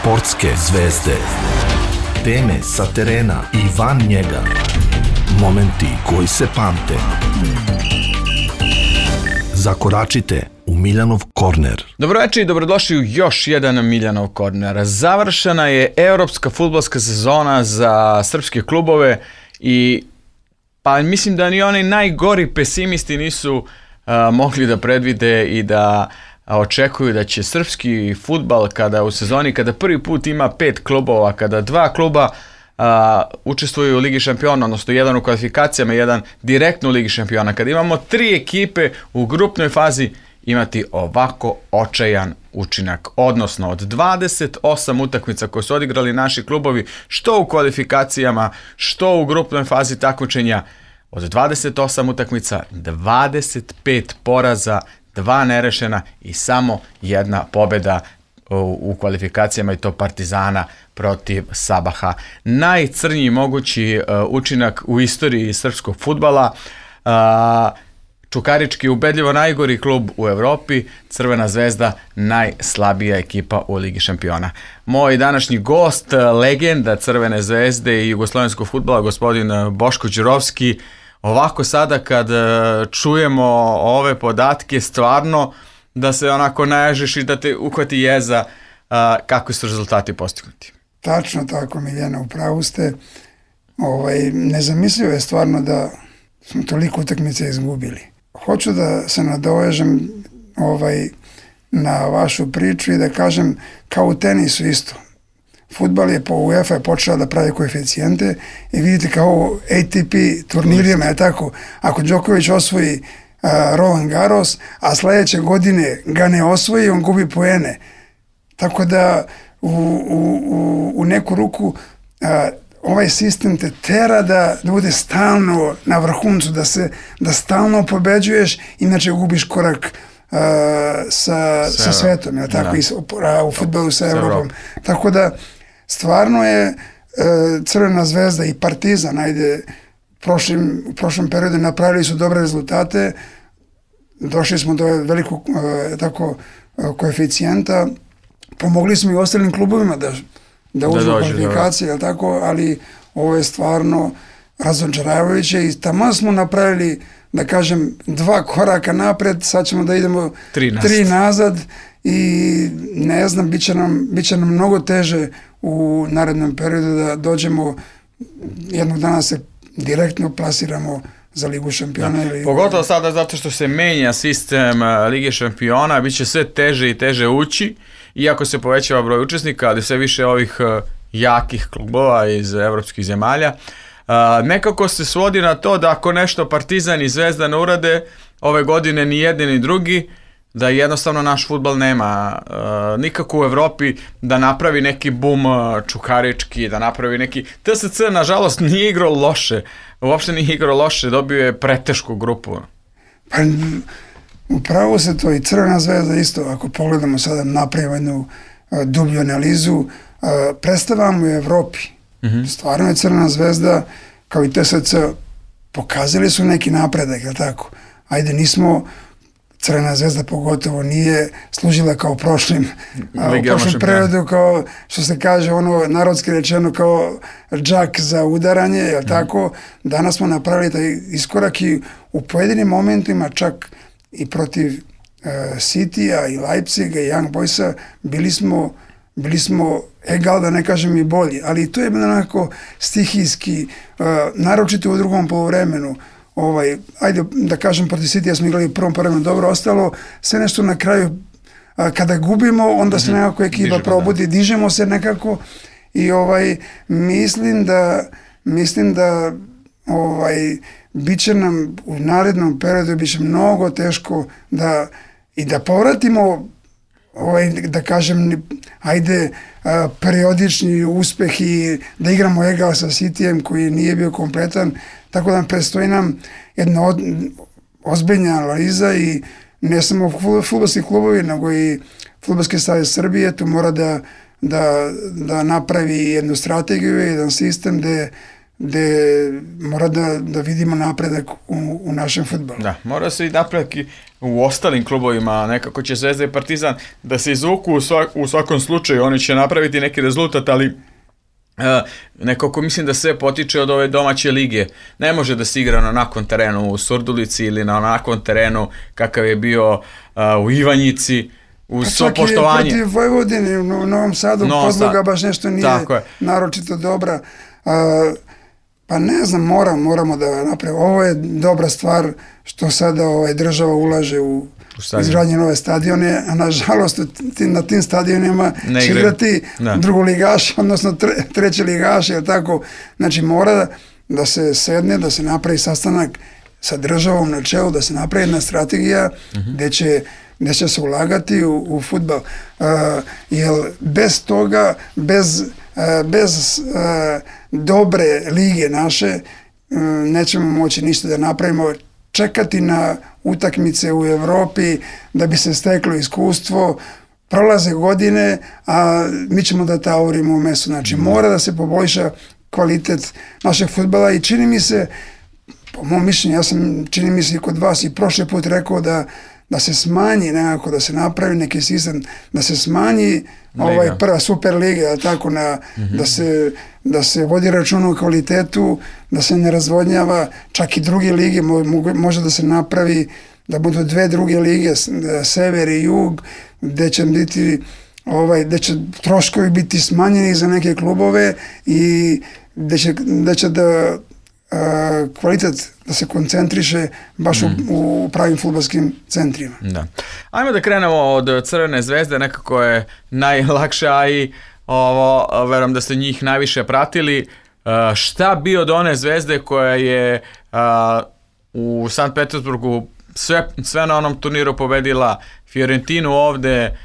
Sportske zvezde. Teme sa terena i van njega. Momenti koji se pamte. Zakoračite u Miljanov korner. Dobroveče i dobrodošli u još jedan Miljanov korner. Završena je evropska fudbalska sezona za srpske klubove i pa mislim da ni oni najgori pesimisti nisu mogli da predvide i da očekuju da će srpski fudbal u sezoni kada prvi put ima 5 klubova, kada 2 kluba učestvuju u Ligi šampiona, odnosno jedan u kvalifikacijama, jedan direktno u Ligi šampiona, kada imamo 3 ekipe u grupnoj fazi, imati ovako očajan učinak. Odnosno od 28 utakmica koje su odigrali naši klubovi, što u kvalifikacijama, što u grupnoj fazi takmičenja, od 28 utakmica 25 poraza, 2 nerešena i samo 1 pobjeda u kvalifikacijama, i to Partizana protiv Sabaha. Najcrnji mogući učinak u istoriji srpskog fudbala. Čukarički ubedljivo najgori klub u Evropi, Crvena zvezda najslabija ekipa u Ligi šampiona. Moj današnji gost, legenda Crvene zvezde i jugoslovenskog fudbala, gospodin Boško Đurovski. Ovako sada kad čujemo ove podatke, stvarno da se onako naježiš i da te uhvati jeza kako su rezultati postignuti. Tačno tako, Miljana, upravo ste. Nezamislivo je stvarno da smo toliko utakmice izgubili. Hoću da se nadovežem na vašu priču i da kažem, kao u tenisu isto. Fudbal je po UEFA je počela da pravi koeficijente i vidite kao ATP turnirima je tako. Ako Đoković osvoji Roland Garros, a sledeće godine ga ne osvoji, on gubi poene. Tako da u neku ruku ovaj sistem te tera da bude stalno na vrhuncu, da stalno pobeđuješ, inače gubiš korak sa svetom, je tako, u fudbalu sa Evropom. Tako da stvarno je Crvena zvezda i Partizan, u prošlom periodu napravili su dobre rezultate, došli smo do velikog koeficijenta, pomogli smo i ostalim klubovima da uđu u kvalifikacije, ali ovo je stvarno razočaravajuće i tamo smo napravili, da kažem, 2 koraka napred, sad ćemo da idemo 3 nazad i ne znam, bit će nam mnogo teže u narednom periodu da dođemo, jednog dana se direktno plasiramo za Ligu šampiona. Pogotovo sada zato što se menja sistem Lige šampiona, bit će sve teže i teže ući, iako se povećava broj učesnika, ali sve više ovih jakih klubova iz evropskih zemalja. Nekako se svodi na to da ako nešto Partizan i Zvezda ne urade ove godine, ni jedni ni drugi, da jednostavno naš fudbal nema nikako u Evropi da napravi neki bum čukarički, da napravi neki... TSC nažalost nije igrao loše, uopšte nije igrao loše, dobio je pretešku grupu. Pa upravo se to i Crvena zvezda isto, ako pogledamo sada, napravimo jednu dublju analizu, predstavamo u Evropi. Stvarno je Crvena zvezda, kao i TSC, pokazali su neki napredak, je li tako? Ajde, nismo... Crvena zvezda pogotovo nije služila kao u prošlom periodu, kao što se kaže, narodski rečeno, kao džak za udaranje, je li tako? Danas smo napravili taj iskorak i u pojedinim momentima, čak i protiv Citya i Leipziga i Young Boysa, bili smo egal, da ne kažem i bolji, ali to je bilo onako stihijski, naročito u drugom poluvremenu. Ajde da kažem, protiv Citya smo igrali u prvom poluvremenu dobro, ostalo sve nešto na kraju, kada gubimo, onda se nekako ekipa probudi, dižemo se nekako i mislim da bit će nam u narednom periodu bit će mnogo teško da povratimo da kažem, ajde, periodični uspeh i da igramo egal sa Cityjem koji nije bio kompletan, tako da predstoji nam jedna ozbiljna analiza i ne samo fudbalski klubovi, nego i Fudbalski savez Srbije tu mora da napravi jednu strategiju, jedan sistem gde gde mora da vidimo napredak u našem fudbalu. Da, mora se i napredak i u ostalim klubovima, nekako će Zvezda i Partizan da se izvuku u svakom slučaju, oni će napraviti neki rezultat, ali nekako mislim da sve potiče od ove domaće lige. Ne može da se igra na onakvom terenu u Surdulici ili na onakvom terenu kakav je bio u Ivanjici, uz svo poštovanje. Čak i protiv Vojvodine u Novom Sadu podloga baš nešto nije naročito dobra. Pa ne znam, moramo da napravimo. Ovo je dobra stvar što sada država ulaže u izgradnje nove stadione, a nažalost na tim stadionima će igrati drugoligaši, odnosno treći ligaši, jer tako. Znači mora da se sedne, da se napravi sastanak sa državom na čelu, da se napravi jedna strategija gde će se ulagati u fudbal. Jer bez toga, bez dobre lige naše, nećemo moći ništa da napravimo. Čekati na utakmice u Evropi da bi se steklo iskustvo, prolaze godine, a mi ćemo da taurimo u mesu. Znači, mora da se poboljša kvalitet našeg fudbala i čini mi se, po mom mišljenju, čini mi se i kod vas i prošli put rekao da se smanji nekako, da se napravi neki sistem, da se smanji prva super liga, tako da se vodi računa o kvalitetu, da se ne razvodnjava, čak i druge lige može da se napravi, da budu dve druge lige, sever i jug, gde će biti gde će troškovi biti smanjeni za neke klubove i gde će da kvalitet da se koncentriše baš u pravim fudbalskim centrima. Da. Ajmo da krenemo od Crvene zvezde, nekako je najlakše, a i verujem da ste njih najviše pratili. Šta bi od one Zvezde koja je u Sankt Petersburgu sve na onom turniru pobedila Fiorentinu ovde,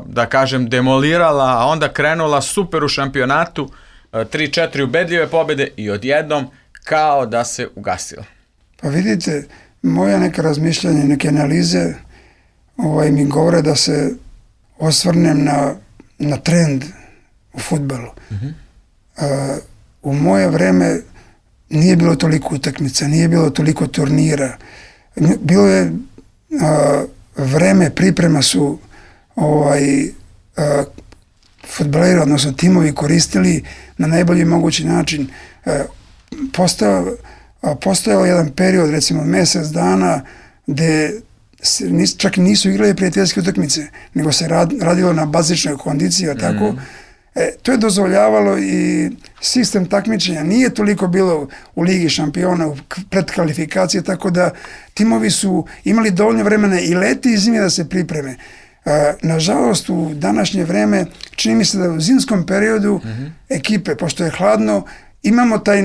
da kažem, demolirala, a onda krenula super u šampionatu, 3-4 ubedljive pobjede i odjednom kao da se ugasila. Pa vidite, moja neka razmišljanja, neke analize mi govore da se osvrnem na trend u fudbalu. U moje vreme nije bilo toliko utakmica, nije bilo toliko turnira. Bilo je vreme priprema su fudbaleri, odnosno timovi koristili na najbolji mogući način. Postojao jedan period, recimo mesec dana, gde čak nisu igrali prijateljske utakmice, nego se radilo na bazičnoj kondiciji, tako. To je dozvoljavalo i sistem takmičenja. Nije toliko bilo u Ligi šampiona, u predkvalifikacije, tako da timovi su imali dovoljno vremena i leti i zimi da se pripreme. Nažalost, u današnje vreme čini mi se da u zimskom periodu ekipe, pošto je hladno, imamo taj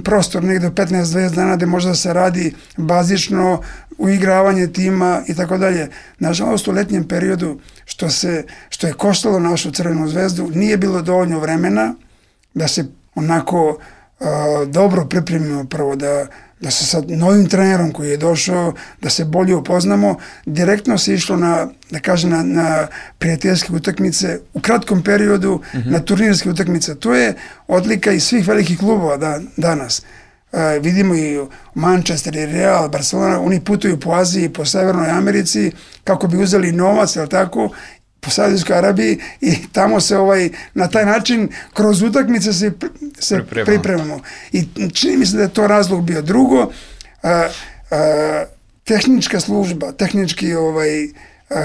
prostor negde 15-20 dana gde može da se radi bazično uigravanje tima i tako dalje. Nažalost, u letnjem periodu, što je koštalo našu Crvenu zvezdu, nije bilo dovoljno vremena da se onako dobro pripremimo, prvo da se sa novim trenerom koji je došao, da se bolje upoznamo. Direktno se išlo na prijateljske utakmice u kratkom periodu, na turnirske utakmice. To je odlika i svih velikih klubova danas. Vidimo i Manchester i Real, Barcelona, oni putuju po Aziji, po Severnoj Americi kako bi uzeli novac, jel tako, po Saudijskoj Arabiji i tamo se na taj način kroz utakmice se pripremamo. I čini mi se da je to razlog bio. Drugo, tehnička služba, tehnički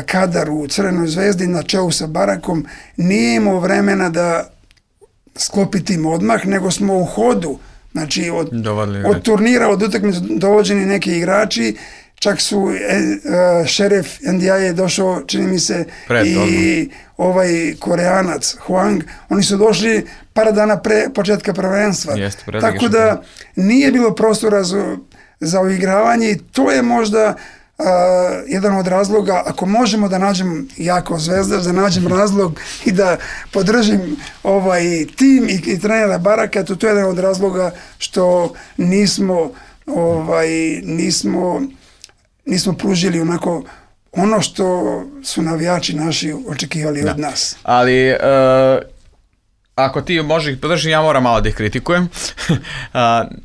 kadar u Crvenoj zvezdi na čelu sa Barakom nije imao vremena da sklopi tim odmah, nego smo u hodu. Znači, od turnira, od utakmice dovođeni neki igrači, čak su šerif NDI je došao, čini mi se, i Koreanac, Huang, oni su došli par dana pre početka prvenstva. Tako da nije bilo prostora za uigravanje i to je možda jedan od razloga, ako možemo da nađem jako Zvezda, da nađem razlog i da podržim tim i trenera Baraka, to je jedan od razloga što nismo pružili onako ono što su navijači naši očekivali od nas. Ali ako ti možeš ih podržiti, ja moram malo da ih kritikujem.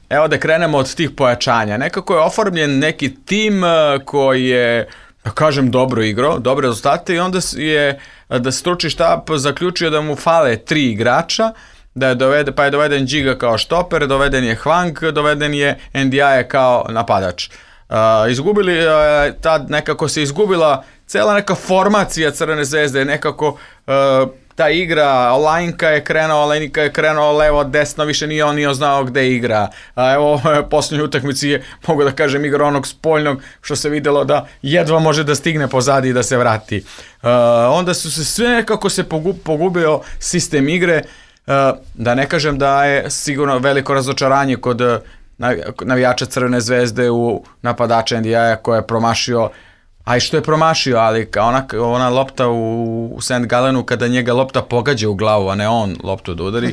Evo da krenemo od tih pojačanja. Nekako je oformljen neki tim koji je, da kažem, dobro igrao, dobre rezultate i onda je da stručni štab zaključio da mu fale 3 igrača, pa je doveden Džiga kao štoper, doveden je Hwang, doveden je Ndiaye kao napadač. Tad nekako se izgubila cela neka formacija Crvene zvezde, nekako ta igra, Olajnka je krenuo levo, desno, više nije on nije znao gde igra. Evo, posljednjoj utakmici je, mogu da kažem, igra onog spoljnog, što se videlo da jedva može da stigne pozadi i da se vrati. Onda su se sve nekako se pogubio sistem igre, da ne kažem da je sigurno veliko razočaranje kod navijača Crvene zvezde u napadača Ndiaye koji je promašio, a i što je promašio, ali ona lopta u St. Gallenu kada njega lopta pogađa u glavu, a ne on loptu da udari.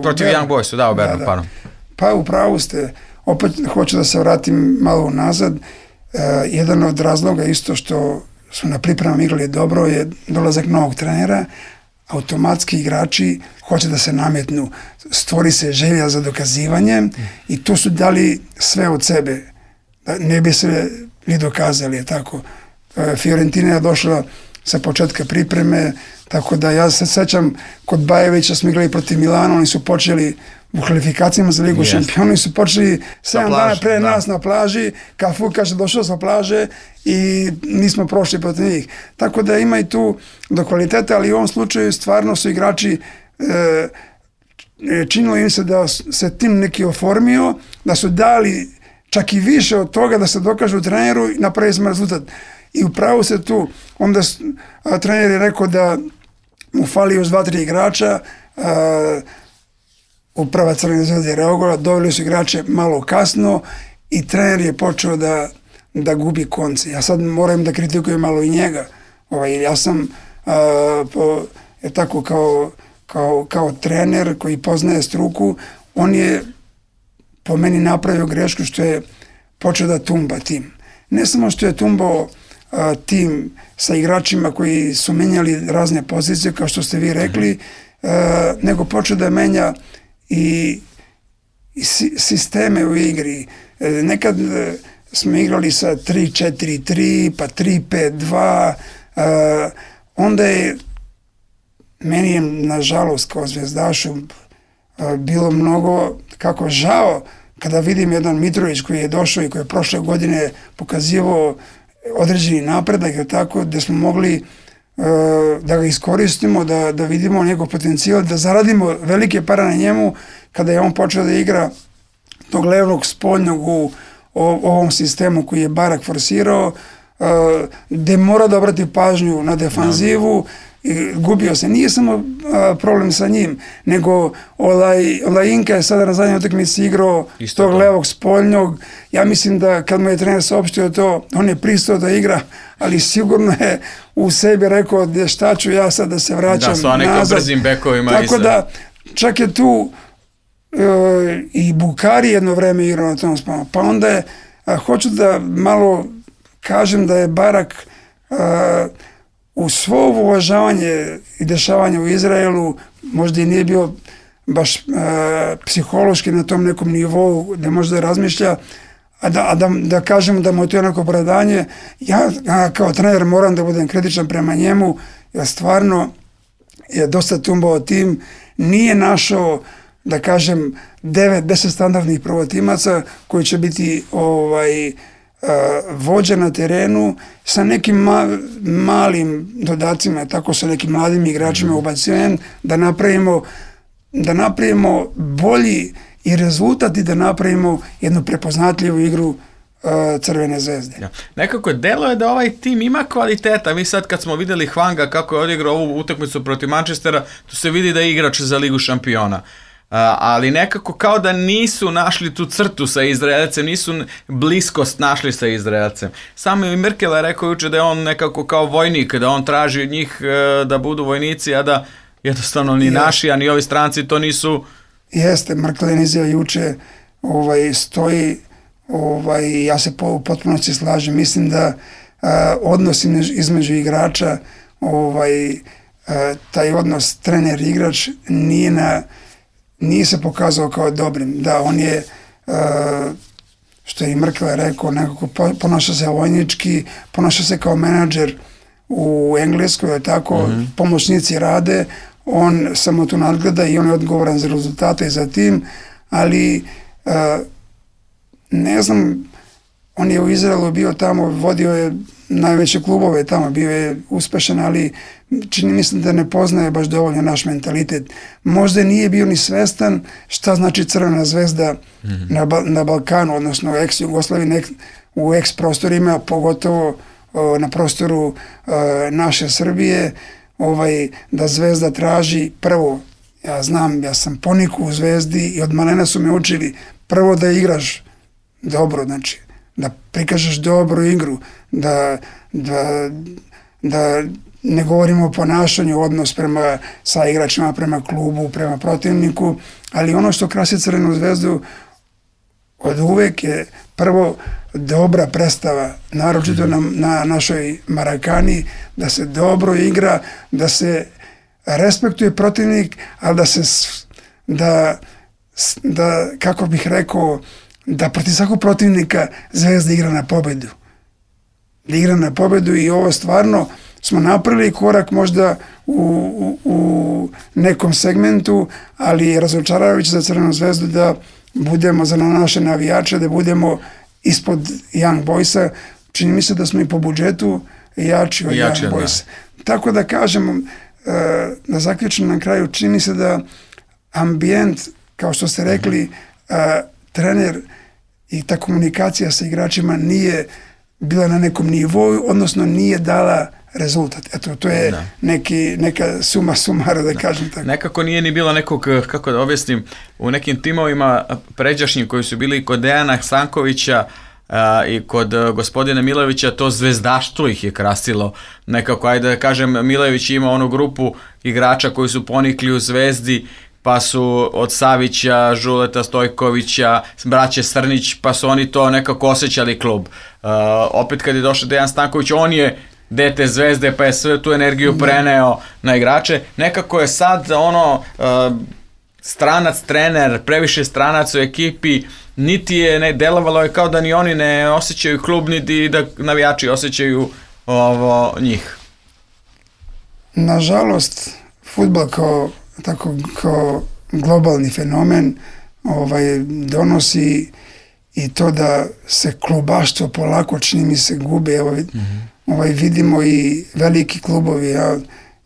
Protiv Young Boysu, da, u Bernu, pardon. Pa upravo ste, opet hoću da se vratim malo nazad. Jedan od razloga isto što su na pripremama igrali dobro je dolazak novog trenera. Automatski igrači hoće da se nametnu, stvori se želja za dokazivanje i tu su dali sve od sebe. Ne bi se li dokazali, je tako. Fiorentina je došla sa početka pripreme, tako da ja se sećam kod Bajevića smo igrali protiv Milana, oni su počeli u kvalifikacijama za Ligu šampiona, oni su počeli 7 dana pre nas na plaži, Cafu kaže došao sa plaže i nismo prošli protiv njih. Tako da ima i tu do kvaliteta, ali u ovom slučaju stvarno su igrači činilo im se da se tim neki oformio, da su dali čak i više od toga da se dokažu treneru i napravi smo rezultat. I upravo se tu, onda trener je rekao da mu fali još 2-3 igrača, uprava Crvene zvezde je reagovala, doveli su igrače malo kasno i trener je počeo da gubi konce. Ja sad moram da kritikujem malo i njega. Ja sam tako kao trener koji poznaje struku, on je po meni napravio grešku što je počeo da tumba tim. Ne samo što je tumbao tim sa igračima koji su menjali razne pozicije, kao što ste vi rekli, nego počeo da menja i sisteme u igri. Nekad smo igrali sa 3-4-3, pa 3-5-2, onda je meni je, nažalost, kao zvezdašu bilo mnogo kako žao kada vidim jedan Mitrović koji je došao i koji je prošle godine pokazivao određeni napredak, tako da smo mogli da ga iskoristimo, da vidimo njegov potencijal, da zaradimo velike pare na njemu kada je on počeo da igra tog levog spoljnog u ovom sistemu koji je Barak forsirao, gde mora da obrati pažnju na defanzivu i gubio se. Nije samo problem sa njim, nego Olajinka je sada na zadnjoj utakmici igrao tog levog spoljnog. Ja mislim da kad mu je trener saopštio to, on je pristao da igra, ali sigurno je u sebi rekao da šta ću ja sad da se vraćam nazad. Da, sa nekim brzim bekovima. Tako da, čak je tu i Bukari jedno vreme igrao na tom spanu. Pa onda je, hoću da malo kažem da je Barak u svo uvažavanje i dešavanje u Izraelu možda i nije bio baš psihološki na tom nekom nivou da može da razmišlja, a da kažemo da mu je to neko opravdanje. Ja kao trener moram da budem kritičan prema njemu, jer stvarno je dosta tumbao tim, nije našao, da kažem, 9-10 standardnih prvotimaca koji će biti vođa na terenu sa nekim malim dodacima, tako sa nekim mladim igračima ubacivanjem, da napravimo bolji i rezultat i da napravimo jednu prepoznatljivu igru Crvene zvezde. Ja. Nekako deluje da ovaj tim ima kvaliteta. Mi sad kad smo videli Hwanga kako je odigrao ovu utakmicu protiv Manchestera, tu se vidi da je igrač za Ligu šampiona. Ali nekako kao da nisu našli tu crtu sa Izraelcem, nisu bliskost našli sa Izraelcem. Samo i Merkel je rekao juče da je on nekako kao vojnik, da on traži od njih da budu vojnici, a da jednostavno ni naši, a ni ovi stranci to nisu. Jeste, Merkel izjava juče stoji, ja se u potpunosti slažem. Mislim da odnos između igrača taj odnos trener-igrač nije se pokazao kao dobrim. Da, on je, što je i Merkel rekao, nekako ponaša se vojnički, ponaša se kao menadžer u Engleskoj, tako, pomoćnici rade, on samo tu nadgleda i on je odgovoran za rezultate i za tim, ali ne znam, on je u Izraelu bio tamo, vodio je najveće klubove tamo, bio je uspešan, ali čini mislim da ne poznaje baš dovoljno naš mentalitet. Možda nije bio ni svestan šta znači Crvena zvezda na Balkanu, odnosno u ex-Jugoslaviji, u ex-prostorima, pogotovo na prostoru naše Srbije, da Zvezda traži prvo, ja znam, ja sam ponikao u Zvezdi i od malena su me učili prvo da igraš dobro, znači da prikažeš dobru igru, da ne govorimo o ponašanju, odnos prema sa igračima, prema klubu, prema protivniku, ali ono što krasi Crvenu zvezdu od uvek je prvo dobra predstava, naročito na našoj Marakani, da se dobro igra, da se respektuje protivnik, ali da kako bih rekao, da protiv svakog protivnika Zvezda igra na pobedu. Igra na pobedu i ovo stvarno smo napravili korak možda u nekom segmentu, ali je razočaravajuće za Crvenu zvezdu da budemo za naše navijače, da budemo ispod Young Boysa. Čini mi se da smo i po budžetu jači od Young Boysa. Tako da kažem, da zaključim na kraju, čini mi se da ambijent, kao što ste rekli, trener i ta komunikacija sa igračima nije bila na nekom nivou, odnosno nije dala rezultat. Eto, to je neka suma sumara, da kažem tako. Nekako nije ni bilo nekog, kako da objasnim, u nekim timovima pređašnjim koji su bili kod Dejana Stankovića i kod gospodina Milojevića, to zvezdaštvo ih je krasilo. Nekako, ajde da kažem, Milojević ima onu grupu igrača koji su ponikli u Zvezdi, pa su od Savića, Žuleta, Stojkovića, braće Srnić, pa su oni to nekako osjećali klub. Opet kad je došao Dejan Stanković, on je dete Zvezde, pa je sve tu energiju preneo na igrače. Nekako je sad stranac trener, previše stranac u ekipi, niti je delovalo je kao da ni oni ne osjećaju klub, niti da navijači osjećaju njih. Nažalost, fudbal kao globalni fenomen donosi i to da se klubaštvo polako, čini mi se, gube. Vidimo i veliki klubovi,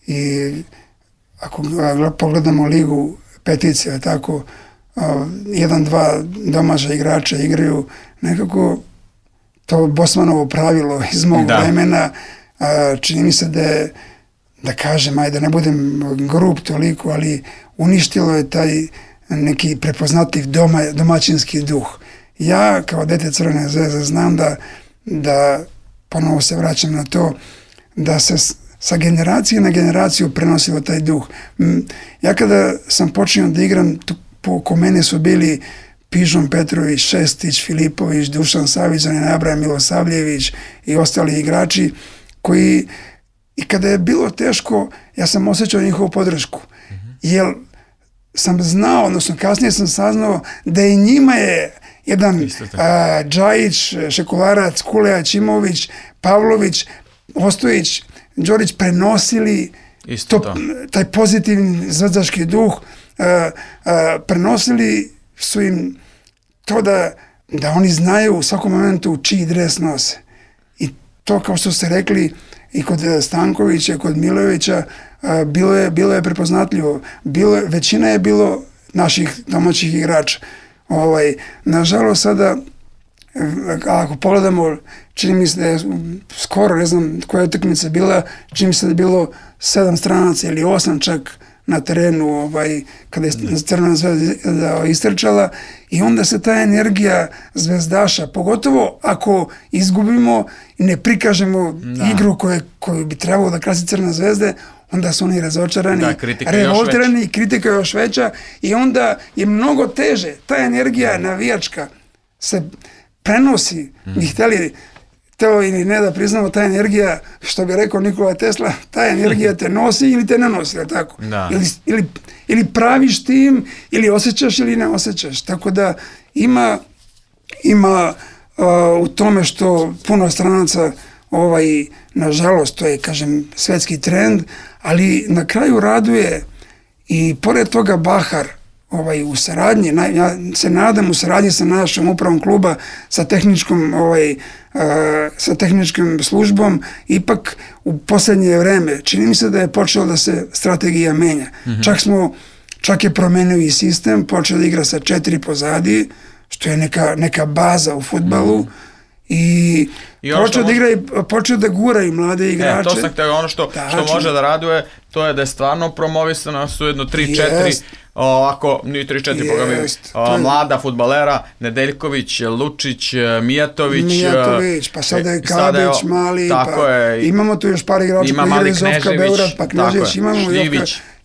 i ako pogledamo ligu petice, tako, 1-2 domaća igrača igraju, nekako to Bosmanovo pravilo iz mog vremena, čini mi se da kažem, ajde, ne budem grub toliko, ali uništilo je taj neki prepoznatljiv domaćinski duh. Ja, kao dete Crvene zvezde, znam da ponovo se vraćam na to, da se sa generacije na generaciju prenosilo taj duh. Ja kada sam počeo da igram, oko mene su bili Pižon Petrović, Šestić, Filipović, Dušan Savić, Nabraja Milosavljević i ostali igrači koji, i kada je bilo teško, ja sam osjećao njihovu podršku. Jer sam znao, odnosno kasnije sam saznao da i njima je jedan Džajić, Šekularac, Kulejač, Imović, Pavlović, Ostojić, Đorić prenosili taj pozitivni zvezdaški duh, prenosili su im to da oni znaju u svakom momentu čiji dres nose. I to, kao što ste rekli, i kod Stankovića, i kod Milojevića, bilo je prepoznatljivo. Većina je bilo naših domaćih igrača. Nažalost, sada, ako pogledamo, čini mi se da je skoro, ne znam koja je utakmica bila, čini mi se da je bilo 7 stranaca ili 8 čak na terenu, kada je Crvena zvezda istrčala, i onda se ta energija zvezdaša, pogotovo ako izgubimo i ne prikažemo igru koju bi trebalo da krasi Crvena zvezde, onda su oni razočarani, revoltirani i kritika još veća, i onda je mnogo teže. Ta energija navijačka se prenosi. Mi htjeli teo ili ne da priznamo, ta energija, što bi rekao Nikola Tesla, ta energija te nosi ili te ne nosi, je tako? Da. Ili praviš tim, ili osjećaš ili ne osjećaš. Tako da ima u tome što puno stranaca, nažalost, to je, kažem, svetski trend, ali na kraju raduje i pored toga Bahar, u saradnji, ja se nadam u saradnji sa našom upravom kluba, sa tehničkom službom, ipak u posljednje vreme, čini mi se da je počelo da se strategija menja. Čak je promenio i sistem, počeo da igra sa 4 pozadi, što je neka baza u fudbalu, i počeo da gura i mlade igrače. To sam htio, ono što može da raduje, to je da je stvarno promovisano, su jedno 3-4, ovako, nije 3-4, boga mi, mlada fudbalera, Nedeljković, Lučić, Mijatović, pa sada je Kabić, Mali, imamo tu još par igrača koji igraju iz Zofka Beograd, pa Knežević,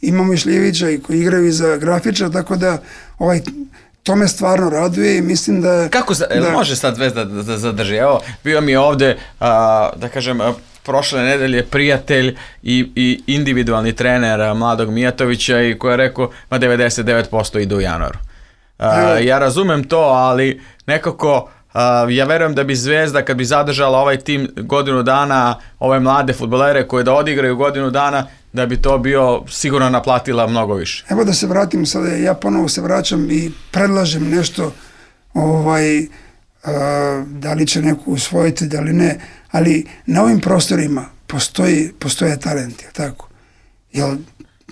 imamo i Šljivića koji igraju za Grafiča, tako da to me stvarno raduje i mislim da... Kako može sad Zvezda da zadrži? Evo, bio mi ovde, da kažem, prošle nedelje prijatelj i individualni trener mladog Mijatovića i koji je rekao, 99% ide u januaru. Ja razumem to, ali nekako... ja verujem da bi Zvezda, kad bi zadržala ovaj tim godinu dana, ove mlade fudbalere koje da odigraju godinu dana, da bi to bio sigurno naplatila mnogo više. Evo da se vratim sada, ja ponovo se vraćam i predlažem nešto, da li će neko usvojiti, da li ne, ali na ovim prostorima postoje talenti, tako? Jel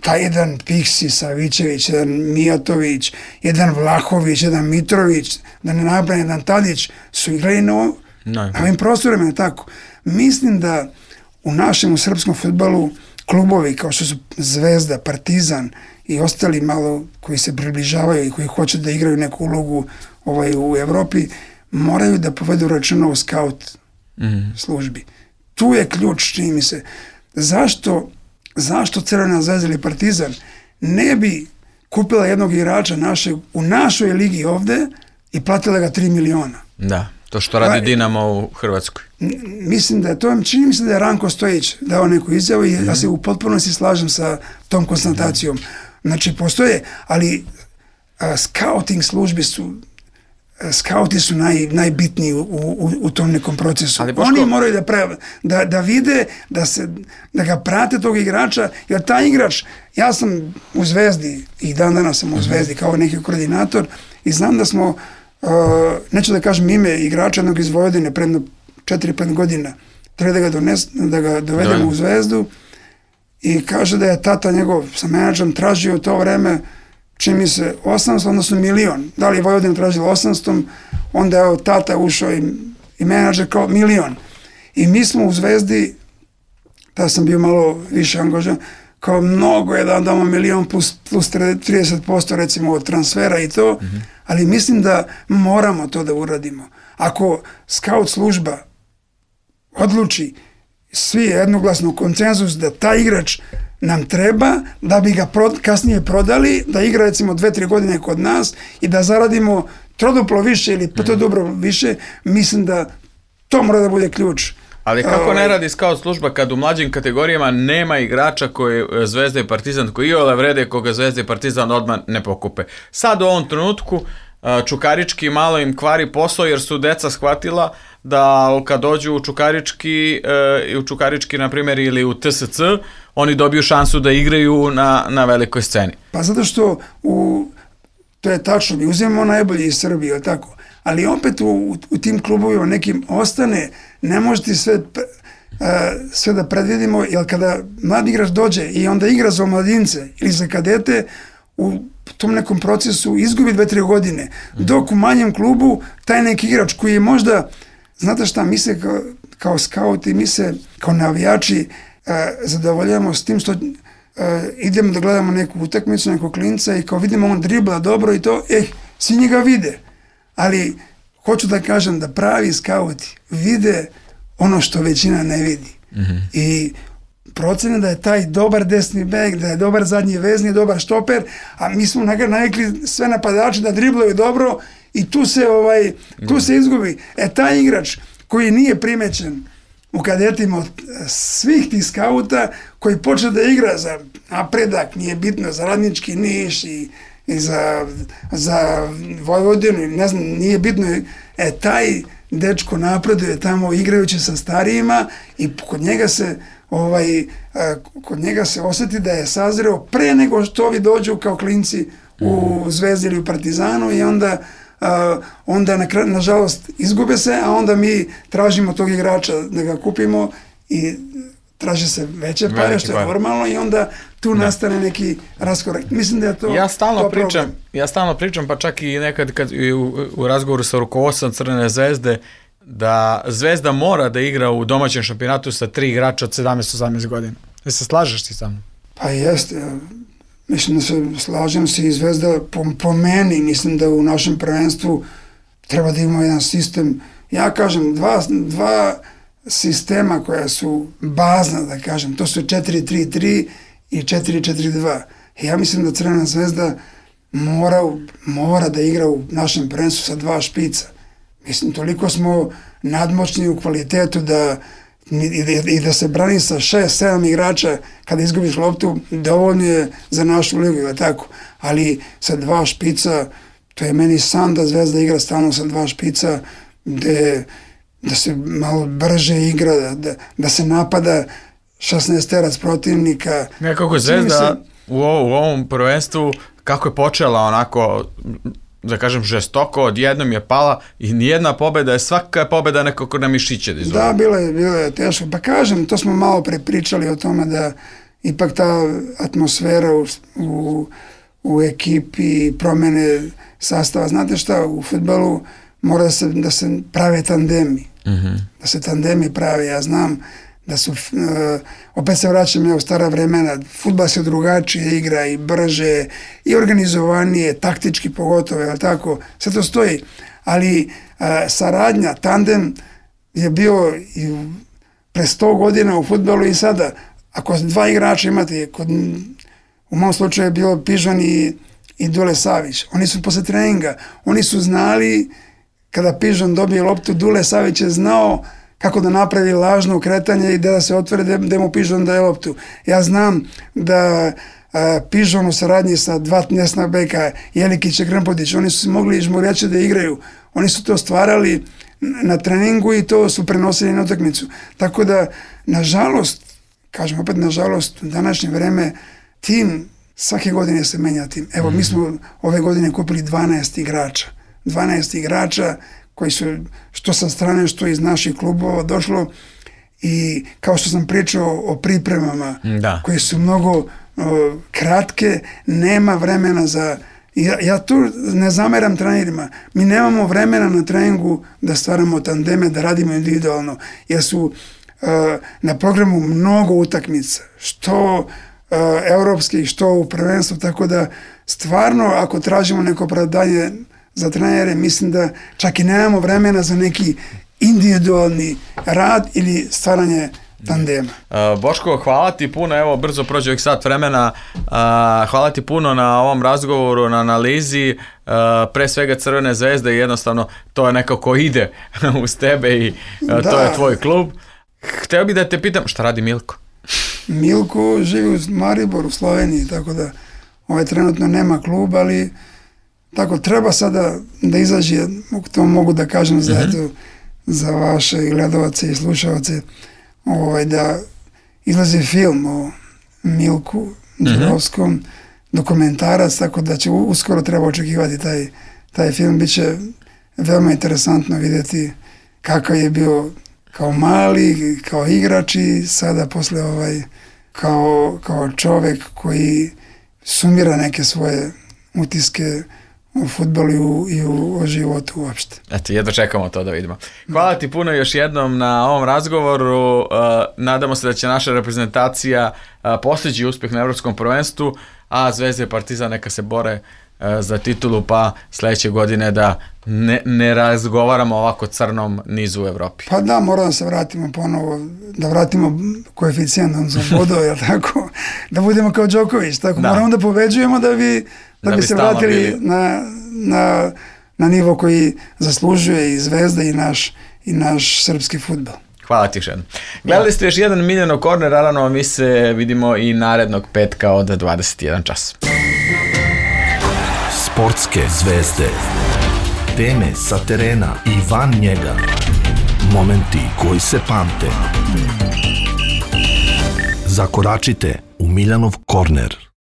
taj jedan Piksi, Savićević, jedan Mijatović, jedan Vlahović, jedan Mitrović, da ne nabrajam, jedan Tadić, su igrali na ovim prostorima, tako? Mislim da u našem, u srpskom fudbalu, klubovi kao što su Zvezda, Partizan i ostali malo koji se približavaju i koji hoće da igraju neku ulogu u Evropi, moraju da povedu računa o scout službi. Tu je ključ, čini mi se. Zašto Crvena Zvezda ili Partizan ne bi kupila jednog igrača u našoj ligi ovde i platila ga 3 miliona? Da, to što radi Dinamo u Hrvatskoj. Mislim da je to, čini mi se da je Ranko Stojić dao neku izjavu i ja se u potpunosti slažem sa tom konstatacijom. Znači, postoje, ali scouting službi skauti su najbitniji u tom nekom procesu. Oni moraju da vide, da ga prate tog igrača, jer taj igrač, ja sam u Zvezdi i dan danas sam u Zvezdi kao neki koordinator i znam da smo, neću da kažem ime igrača jednog iz Vojvodine predno 4-5 godina, treba da ga dovedemo u Zvezdu i kaže da je tata njegov sa menadžerom tražio u to vreme, čini mi se 800, odnosno milion. Da li je Vojvodina tražila 800, onda je tata ušao i menadžer kao milion. I mi smo u Zvezdi, tada sam bio malo više angažan, kao mnogo je da damo milion plus 30% recimo od transfera i to, ali mislim da moramo to da uradimo. Ako scout služba odluči svi jednoglasno konsenzus da taj igrač nam treba, da bi ga kasnije prodali, da igra recimo 2-3 godine kod nas i da zaradimo troduplo više ili petodobro više, mislim da to mora da bude ključ. Ali kako ne radi scout služba kad u mlađim kategorijama nema igrača koji Zvezda i Partizan, koji iole vrede koga Zvezda i Partizan odmah ne pokupe. Sad u ovom trenutku Čukarički malo im kvari posao jer su deca shvatila da kad dođu u Čukarički na primjer ili u TSC, oni dobiju šansu da igraju na velikoj sceni. Pa zato što to je tačno, mi uzimamo najbolji iz Srbije, tako? Ali opet u tim klubovima nekim ostane, ne možete sve da predvidimo, jer kada mladi igrač dođe i onda igra za mladince ili za kadete, u tom nekom procesu izgubi 2-3 godine, dok u manjem klubu taj neki igrač koji je možda, znate šta, mi se kao skauti, mi se kao navijači zadovoljavamo s tim što idemo da gledamo neku utakmicu, nekog klinca i kao vidimo on dribla dobro i to, svi njega vide. Ali hoću da kažem da pravi skauti vide ono što većina ne vidi. I procene da je taj dobar desni bek, da je dobar zadnji vezni, dobar štoper, a mi smo navikli sve napadače da driblaju dobro i tu se izgubi. Taj igrač koji nije primećen u kadetima od svih tih skauta, koji počne da igra za napredak, nije bitno, za Radnički Niš i za Vojvodinu, ne znam, nije bitno, taj dečko napreduje tamo igrajući sa starijima i kod njega se osjeti da je sazreo pre nego što ovi dođu kao klinci u Zvezdi ili u Partizanu i onda nažalost izgube se, a onda mi tražimo tog igrača da ga kupimo i traže se veće pare, što je normalno, i onda tu nastane neki raskorak. Mislim da je to Ja stalno pričam, pa čak i nekad kad u razgovoru sa rukovodstvom Crvene Zvezde, da Zvezda mora da igra u domaćem šampionatu sa 3 igrača od 17-18 godina. Da se slažeš ti sa mnom? Pa jeste. Mislim da se slažem se, i Zvezda po meni, mislim da u našem prvenstvu treba da imamo jedan sistem. Ja kažem, dva sistema koja su bazna, da kažem, to su 4-3-3 i 4-4-2. Ja mislim da Crvena Zvezda mora da igra u našem prvenstvu sa 2 špica. Mislim, toliko smo nadmoćni u kvalitetu i da se brani sa 6-7 igrača kada izgubiš loptu, dovoljno je za našu ligu, tako. Ali sa 2 špica, to je meni san da Zvezda igra stalno sa 2 špica, da se malo brže igra, da se napada 16 terac protivnika. Nekako Zvezda u ovom prvenstvu, kako je počela onako, da kažem, žestoko, odjednom je pala i nijedna pobjeda, svaka je pobjeda nekako na mišiće. Da, bilo je teško. Pa kažem, to smo malo prepričali o tome da ipak ta atmosfera u ekipi, promene sastava. Znate šta, u fudbalu mora da se prave tandemi. Da se tandemi prave. Ja znam da su, opet se vraćam u stara vremena, fudbal se drugačije igra i brže i organizovanije, taktički pogotovo, ali tako, sve to stoji. Ali saradnja, tandem je bio i pre 100 godina u fudbalu i sada. Ako 2 igrača imate, u mom slučaju je bilo Pižon i Dule Savić. Oni su posle treninga, oni su znali, kada Pižon dobije loptu, Dule Savić je znao kako da napravi lažno ukretanje i da se otvore da mu Pižon daje loptu. Ja znam da Pižon u saradnji sa 2 desna beka, Jelikić i Krmpodić, oni su se mogli žmurjače da igraju. Oni su to stvarali na treningu i to su prenosili na utakmicu. Tako da, nažalost, kažem opet nažalost, u današnje vreme tim, svake godine se menja tim. Evo, mi smo ove godine kupili 12 igrača. 12 igrača koji su što sa strane, što iz naših klubova došlo, i kao što sam pričao o pripremama, koje su mnogo kratke, nema vremena za... Ja tu ne zameram trenerima. Mi nemamo vremena na treningu da stvaramo tandeme, da radimo individualno, jer su na programu mnogo utakmica, što evropskih, što u prvenstvu, tako da stvarno, ako tražimo neko opravdanje za trenere, mislim da čak i nemamo vremena za neki individualni rad ili stvaranje tandema. Boško, hvala ti puno, evo brzo prođe ovih sat vremena, hvala ti puno na ovom razgovoru, na analizi, pre svega Crvene Zvezde, jednostavno to je nekako ide uz tebe i to je tvoj klub. Hteo bih da te pitam, šta radi Milko? Milko živi u Mariboru, u Sloveniji, tako da trenutno nema klub, ali tako treba sada da izađe, to mogu da kažem za vaše gledovace i slušalce, da izlazi film o Milku Đurovskom, dokumentarac, tako da će uskoro treba očekivati taj film. Biće veoma interesantno vidjeti kakav je bio kao mali, kao igrač i sada posle kao čovek koji sumira neke svoje utiske u fudbalu i u životu uopšte. Eto, jedno čekamo to da vidimo. Hvala ti puno još jednom na ovom razgovoru. Nadamo se da će naša reprezentacija postići uspjeh na Evropskom prvenstvu, a Zvezda i Partizan neka se bore za titulu, pa sledeće godine da ne razgovaramo ovako crnom nizu u Evropi. Pa da, moramo da se vratimo ponovo, da vratimo koeficijent za bodove, jel tako? Da budemo kao Đoković, tako? Moramo da pobeđujemo da bi se vratili na nivo koji zaslužuje i Zvezda i naš srpski fudbal. Hvala ti još jednom. Gledali ste još jedan Miljanov korner, naravno mi se vidimo i narednog petka od 21 čas. Sportske zvezde, teme sa terena i van njega, momenti koji se pamte. Zakoračite u Miljanov korner.